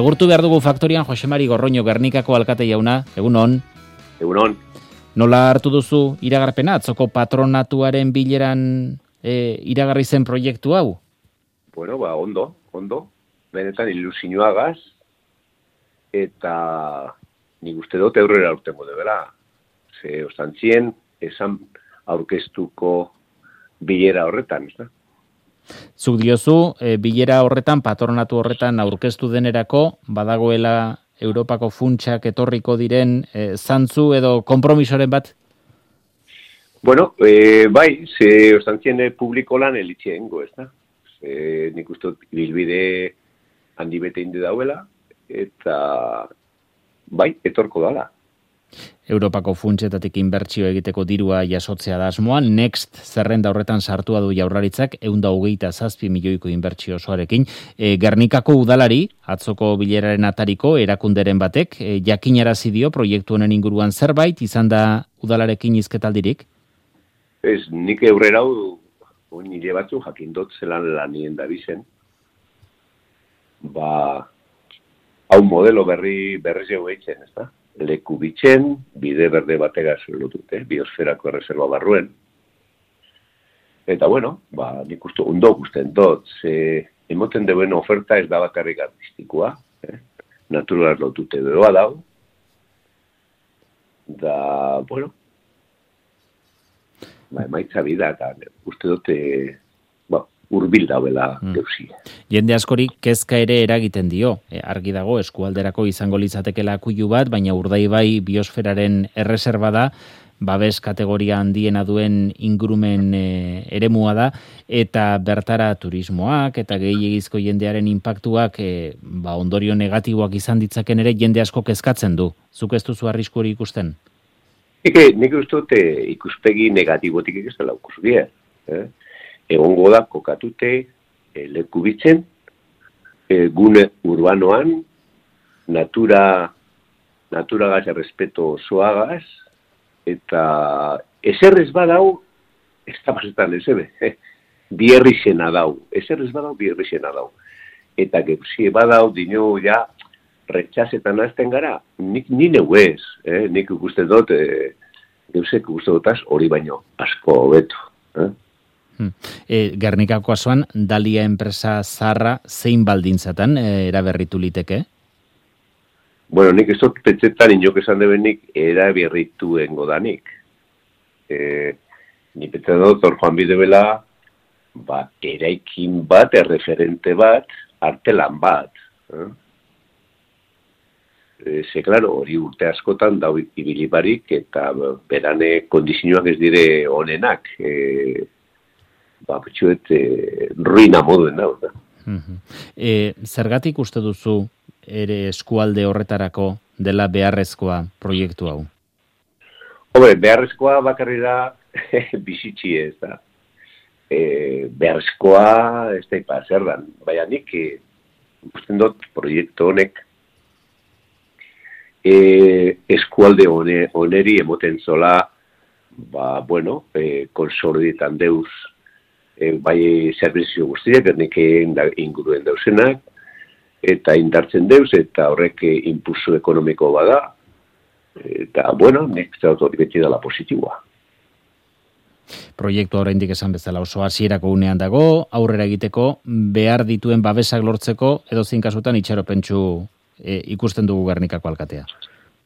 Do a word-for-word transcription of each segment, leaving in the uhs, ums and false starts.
Agurtu behar dugu faktorian Jose Mari Gorroño, Gernikako alkate jauna, egunon. Egunon. Nola hartu duzu iragarpena, atzoko patronatuaren bileran e, iragarri zen proiektu hau? Bueno, ba, ondo, ondo. Benetan ilusioagaz, eta nik uste dut aurrera urtengo debela. Ze ostantzien, esan aurkeztuko bilera horretan, ez da? Zuk diozu, e, bilera horretan, patronatu horretan aurkeztu denerako, badagoela Europako funtsak etorriko diren e, zantzu edo konpromisoren bat? Bueno, e, bai, ze ostantzien publiko lan elitxeengo, ez da? Ze nik uste bilbide handi bete indi dauela, eta bai, etorko dala. Europako funtsetatik inbertsio egiteko dirua jasotzea da asmoan, Next zerrenda horretan sartua du Jaurlaritzak ehun eta hogeita zazpi milioiko inbertsio osoarekin. E, Gernikako udalari, atzoko bileraren atariko erakunderen batek, e, jakinarazi dio proiektu honen inguruan zerbait, izan da udalarekin hizketaldirik? Ez, nik aurrera hau, nire batzu jakindot zelan lanien da bizen. Ba, hau modelo berri berri zeu eitzen, ez da? Leku bitxen, bide berde bategaz lotute, biosferako erreserba barruen. Eta bueno, ba, nik uste ondo gusten dut, ze emoten duen oferta ez da bakarrik artistikoa, eh? Natural lotute beroa dau. Da, bueno, ba, emaitza bida, eta uste dute, ba, urbil dauela geuzi. Mm. Jende askori kezka ere eragiten dio. E, argi dago, eskualderako izango litzatekela akuilu bat, baina Urdaibai biosferaren erreserba da, babes kategoria handiena duen ingurumen e, eremua da, eta bertara turismoak eta gehiegizko jendearen inpaktuak e, ba, ondorio negatiboak izan ditzaken ere jende asko kezkatzen du. Zuk ez duzu arrisku hori ikusten? Eke, nik uste dute ikuspegi negatibotik ez dela ikusbia. Eh? Egongo da kokatute e, leku bitzen, e, gune urbanoan, natura, naturagaz errespeto osoagaz, eta eserrez badau, ez da pasetan ezebe, eh? Bierrixena dau, eserrez badau, bierrixena dau. Eta geuzie badau, dino ja, retxasetan azten gara, nik nine huez, eh? Nik ikusten dut, e, geuzek ikusten dutaz hori baino, asko hobeto. Eh? E, Gernikako asoan, Dalia enpresa zarra zein baldintzatan e, eraberritu liteke? Bueno, nik ez dut petzetan inok esan debenik eraberrituen godanik. E, nik petzetan dut, hor joan bidebela, ba, eraikin bat, erreferente bat, artelan bat. Eh? E, ze, klaro, hori urte askotan dau ibilibarik, eta berane kondizioak ez dire onenak. E, ba, betxuet, e, ruina moduen da. Uh-huh. E, zergatik uste duzu ere eskualde horretarako dela beharrezkoa proiektu hau? Hombre, beharrezkoa bakarri da bizitxi ez da. E, beharrezkoa ez da ipa zer dan. Baina nik, e, usten dut proiektu honek e, eskualde one, oneri emoten zola, ba, bueno, e, konsorditan deuz, E, bai zerbizio guztiak, Gernikeen inguruen dauzenak, eta indartzen deuz, eta horrek impulso ekonomiko bada, eta, bueno, nek zautu hori beti dela positiboa. Proiektu oraindik esan bezala oso hasierako unean dago, aurrera egiteko, behar dituen babesak lortzeko, edo zein kasutan itxaropentsu e, ikusten dugu Gernikako alkatea.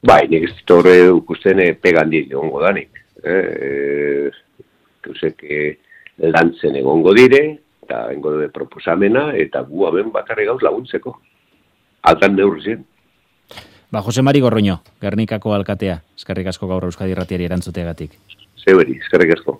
Bai, nik ez dut horre ikusten e, pegandik egongo danik. Eh, Eusek, e, lantzen egongo dire, eta egongo dure proposamena, eta gu aben bakarri gauz laguntzeko. Altan neurrizien. Ba, Jose Mari Gorroño, Gernikako alkatea. Eskerrik asko gaur Euskadi Irratiari erantzuteagatik. Zeberi, eskerrik asko.